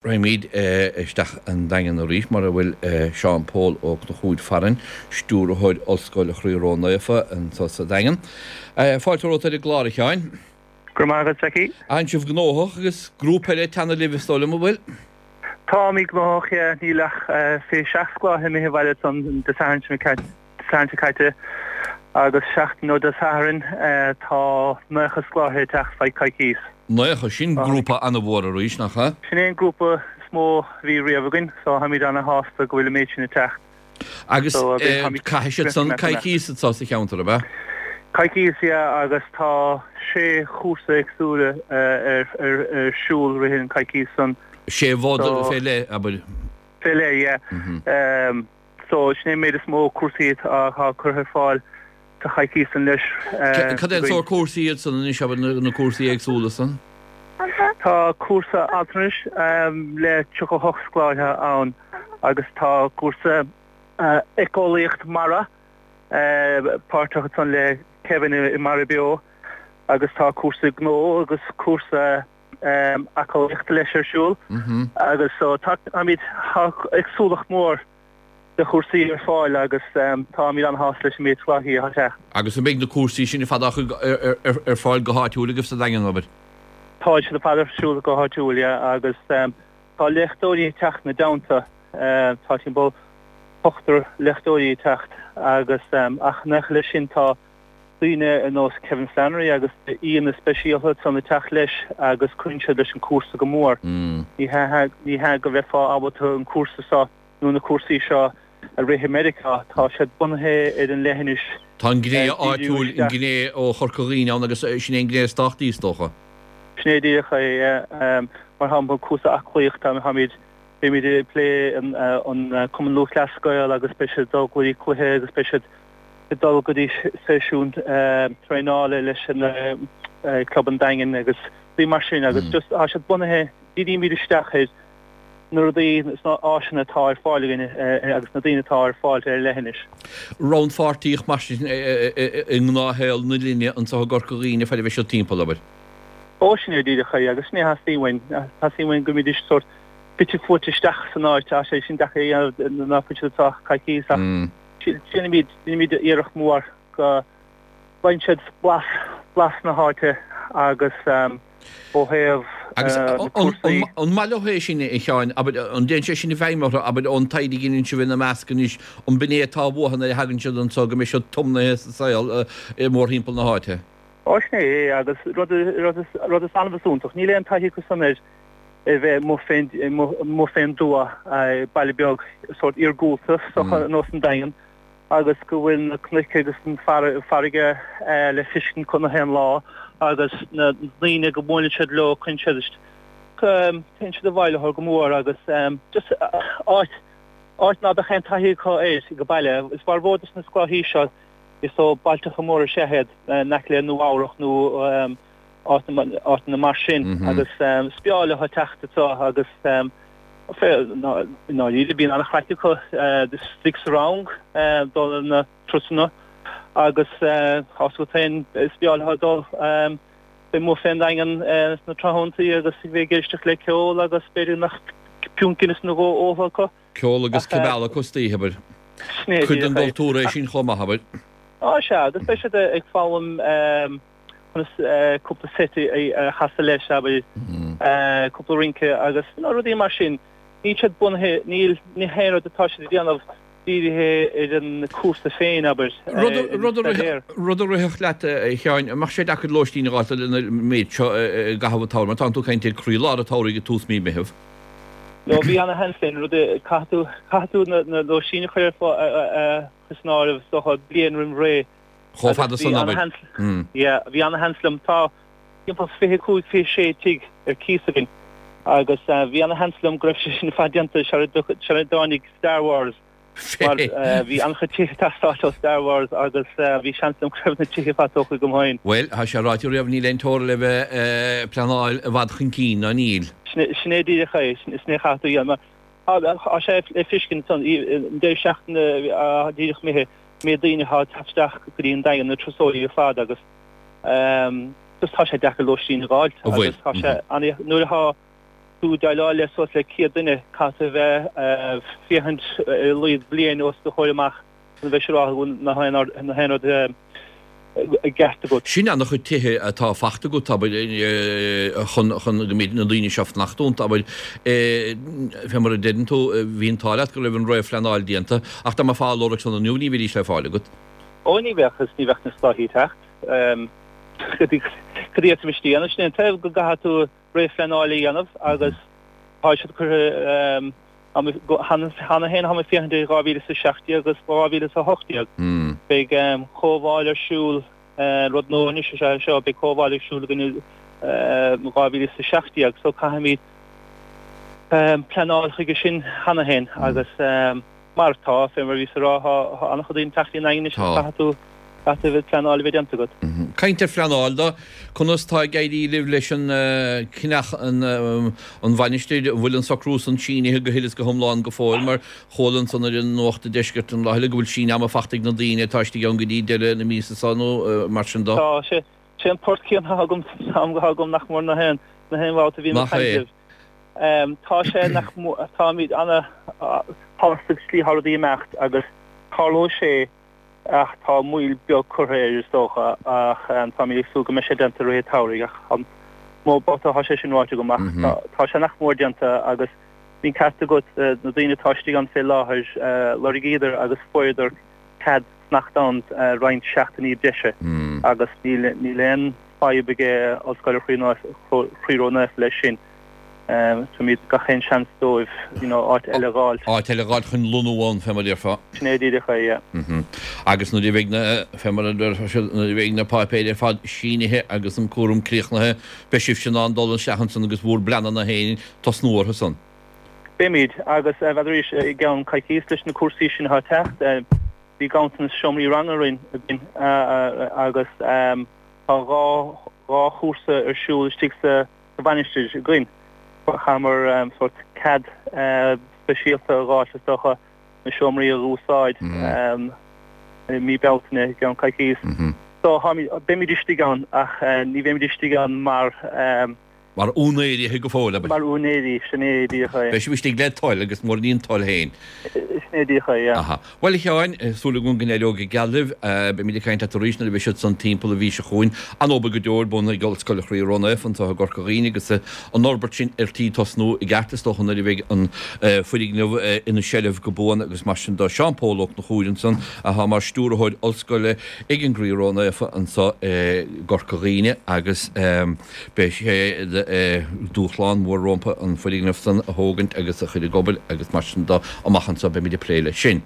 Raghaimid isteach an Daingean arís mar a bhfuil Seán Pól Ó Conchúir farainn, Stiúrthóir Ollscoil Chroí Ró-Naofa anseo sa Daingean. Fáilte romhat ar an gclár, a Sheáin. Go raibh maith agat, Jackie. Tánn sibh gnóthach agus grúpa eile ag teannadh libh is dóigh liom, an bhfuil? Táimid gnóthach, yeah. Níl ach 27 scoláire imithe abhaile ansan Dé Sathairn seo caite agus seachtain ó Dé Sathairn tá 90 scoláire ag teacht feadh coicíos. 90, sin grúpa an-mhór arís, nach ea? Sin é an grúpa is mó a bhí riamh againn, so táimid ana-shásta go bhfuil an méid sin ag teacht. Agus caithfidh siad san coicíos anseo sa cheantar, ab ea? Coicíos, yeah, agus tá sé chúrsa éagsúla ar siúl rith an coicíos san. Sé mhodh fé leith, abair? Fé leith, yeah. So, sin é an méid is mó cúrsaí atá curtha ar fáil sa choicís san leis. Cad é an sórt cúrsaí iad san anois, abair, na cúrsaí éagsúla san? Tá cúrsa altranais le 38 scoláire ann agus tá cúrsa éiceolaíocht mara páirteach ansan le Kevin i Mara Beo agus tá cúrsa gnó agus cúrsa aclaíochta leis ar siúl agus so táimid, tá éagsúlacht mhór de chúrsaí ar fáil agus táimid an-shásta leis an méid scoláirí atá ag teacht. Agus an mbeidh na cúrsaí sin ar fad á ar fáil go háitiúil agaibh sa Daingean, abair? Tá siad ar fad ar siúl go háitiúil, yeah, agus tá léachtóirí ag teacht ina dteannta, tá timpeall ochtar léachtóirí ag teacht agus ach nach leis sin tá daoine ar nós Kevin Flannery agus aíonna speisialta ansan ag teacht leis agus cuireann siad leis an cúrsa go mór. Ní hea go mbeifeá ábalta an cúrsa seo nó na cúrsaí seo a rith i Meiriceá, tá siad bunaithe ar an leithinis. Tá an gné áitiúil, an gné ó Chorca Dhuibhne ann agus sin é an gné is tábhachtaí is dócha. Sin é díreach é. Mar shampla, cúrsa aclaíochta, táimid, beimid ag plé an Cumann Lúthchleas Gael agus beidh siad ag dul go dtí cluiche agus beidh siad ag dul go dtí seisiún traenála leis an Club an Daingin agus rudaí mar sin agus just tá siad bunaithe, dírímid isteach ar na rudaí is na áiseanna atá ar fáil againn agus na daoine atá ar fáil ar an leithinis. Rannpháirtíocht mar sin i ngnáthshaol na linne anseo i gCorca Dhuibhne fad a bheidh siad timpeall, abair. Ó sin é díreach é agus sin é a theastaíonn uainn. Teastaíonn uainn go mbídís sórt fite fuaite isteach san áit, tá sé sin deacair a dhéanamh ná fuil siad anseo ach coicíos ach Déanaimid, déanaimid iarracht mhór go bhfaigheann siad blas, blas na háite agus ó thaobh Agus na cúrsaí. an maith leo é sin, a Sheáin, abair, an dtéann sé sin i bhfeidhm orthu, abair, ón taighde a dheineann sibh ina measc anois, an b'in é atá uathu nuair a thagann siad anseo, go mbeidh siad tiomnaithe sa saol mórthimpeall na háite? Ó, sin é é, agus rud, rud is, rud is annamh is iontach, níl aon taithí acu san ar, ar bheith amuigh fén, amuigh fén dtuath, baile beag sórt iargúlta, is dócha, ar nós an Daingean, agus go bhfuil na cnoic agus an farraige le feiscint acu na haon lá agus na daoine go mbuaileann siad leo, cuireann siad, téann siad i bhfeidhm orthu go mór agus just áit, áit ná beadh aon taithí acu air go baile. Is formhór dos na scoláirí seo, is ó bailteacha móra is ea iad, in aice le Nua Eabhrach nó áiteanna mar sin agus is breá leo teacht anseo agus i ndáiríre bíonn an-chraic acu istigh sa rang dul ar na turasanna agus tá 's agat féin is breá leo dul bheith amuigh fén nDaingean sna tráthnóntaí agus bheith ag éisteacht le ceol agus b'fhéidir nach piúnt Guinness nó dhó óltha acu. Ceol agus cibeal acu istoíche, abair. Cuid den gcultúr é sin chomh maith, abair. Á sea, agus beidh siad ag foghlaim conas cúpla seit a chasadh leis, abair, cúpla rince agus you know rudaí mar sin. Níl siad bunaithe, níl, ní haon rud atá siad a dhéanamh dírithe ar an cúrsa féin, abair, ar an staidéar. Rud a rithfeadh leat, a Sheáin, an mbeadh sé deacair lóistín a dh'fháil lena méid seo i gcaitheamh an tsamhraidh, mar tánn tú ag caint ar croílár an tsamhraidh ag tús mí Meitheamh. No, bhí ana sheans linn, rud, caithfidh tú, caithfidh tú na lóistín a chur ar fáil, san áireamh, is dócha, bliain roimh ré. Chomh fada san, abair. Yeah, bhí ana-sheans liom. Tá timpeall 25, 26 tigh ar cíos againn agus bhí ana-sheans liom go raibh sé sin ar fad déanta sara dtáinig Star Wars mar bhí an-chuid tithe ag teastáil ó Star Wars agus bhí seans liom go raibh na tithe ar fad tógtha agam féin. Bhuel, tá sé ráite riamh níl aon teora le bheith ag pleanáil i bhfad chun cinn, ná níl? Sin é díreach é, sin é a chaithfidh tú a dhéanamh. Tá sé le feiscint ansan, an deireadh seachtaine díreach imithe, méid daoine atá ag teacht isteach go dtí an Daingean, na turasóirí ar fad agus just tá sé deacair lóistín a dh'fháilt agus tá sé an, nuair atá. tú ag déileáil le suas le 100 duine, caithfidh tú a bheith ag féachaint ar a laghad bliain os do chomhair amach chun a bheith siúráilte go bhfuil na haon rud i gceart agat. Sin an-chuid tithe atá fachta agat, abair, chun go mbeidh na daoine seo fanacht iontu, abair, fé mar a deireann tú, bhí an t-ádh leat go raibh an réamhphleanáil déanta, ach dá mbeifeá á lorg san inniu ní bheidís le fáil agat. Ó ní bheadh, agus ní bheadh na soithí ag teacht. Cad a d'fhéadfaimis a dhéanamh? Sin é an taobh go gcaithfidh tú réamhphleanáil a dhéanamh agus tá siad curtha cheana féin táim ag féachaint ar 2017 agus 2018. Beidh comhdháil ar siúl, rud nua anois is ea é seo, beidh comhdháil ar siúl againn i 2017 so caithfimid pleanáil chuige sin cheana féin agus mar atá, fé mar a bhíos ag rá, tá an-chuid daoine ag teacht go dtí an Daingean anois agus caithfidh tú Caithfidh a bheith pleanáil a bheith déanta agat. Caint ar phleanáil dó, conas tá ag éirí libh leis an cneach an mhainistir, an bhfuil an socrú san sínithe go huile is go hiomlán go fóill mar chuala ansan ar an Nuacht an Deiscirt an lá eile go bhfuil síneadh ama fachta ag na daoine atá istigh ann go dtí deireadh na míosa seo nó mar sin dó. Tá sé. Sé an port céanna atá agam san am atá agam nach mór na haon na haon bhabhta a bhím ag caint libh. Tá sé nach mór táimid ana shásta slí atá rudaí ag imeacht agus tarlóidh sé Ach tá moill beag curtha air is dócha ach táimid ag súil go mbeidh sé déanta i rith an tsamhraidh ach an mó babhta atá sé sin ráite agam ach tá sé nach mór déanta agus bhí an ceart agat na daoine atá istigh ann fé láthair lorgaíodar agus fuaireadar cead fanacht ann roinnt seachtainí breise agus níl aon fadhb ag Ollscoil Chroí Ró-Naofa leis sin. Tugaimid gach aon seans dóibh you know áit eile a dh'fháilt. Áit eile a dh'fháilt chun lonnú ann, fé mar a déarfá. Sin é díreach é, yeah. Agus nuair a bheidh na, fé mar a déarfá, nuair a bheidh na páipéir ar fad sínithe agus an cúram críochnaithe, beidh sibhse in ann dul isteach ansan agus bhúr bpleananna féin tosnú orthu san. Beimid, agus b'fhéidir arís i gceann coicíos leis na cúrsaí sin atá ag teacht, bhí ganntanas seomraí ranga orainn againn agus tá 2 chúrsa ar siúl istigh sa sa mhainistir againn. Chaitheamar sórt cead speisialta a dh'fháilt is dócha na seomraí a dh'úsáid i mí Bealtaine i gceann coicíos. So táimid, beimid istigh ann ach ní bheimid istigh ann mar. Mar úinéirí go fóill, abair. Mar úinéirí, sin é díreach é. Beidh sibh istigh le toil agus mura ní an toil féin. Sin é díreach é, yeah. Aha. Bhuel, a Sheáin, súil agam go n-éireoidh go geal libh. Beimid ag caint leat arís nuair a bheidh siad san timpeall an mhí seo chugainn. An-obair go deo ar bun ag Ollscoil Chroí Ró-Naofa anseo i gCorca Dhuibhne agus an fhorbairt sin ar tí tosnú i gceart is dócha nuair a bheidh an foirgneamh ina seilbh go buan agus mar sin de. Seán Pól Ó Conchúir ansan atá mar stiúrthóir ollscoile ag an gCroí Ró-Naofa anseo i gCorca Dhuibhne agus beidh sé dúshlán mór rompu an foirgneamh san a thógaint agus a chur ag obair agus mar sin de amach anseo beimid ag plé leis sin.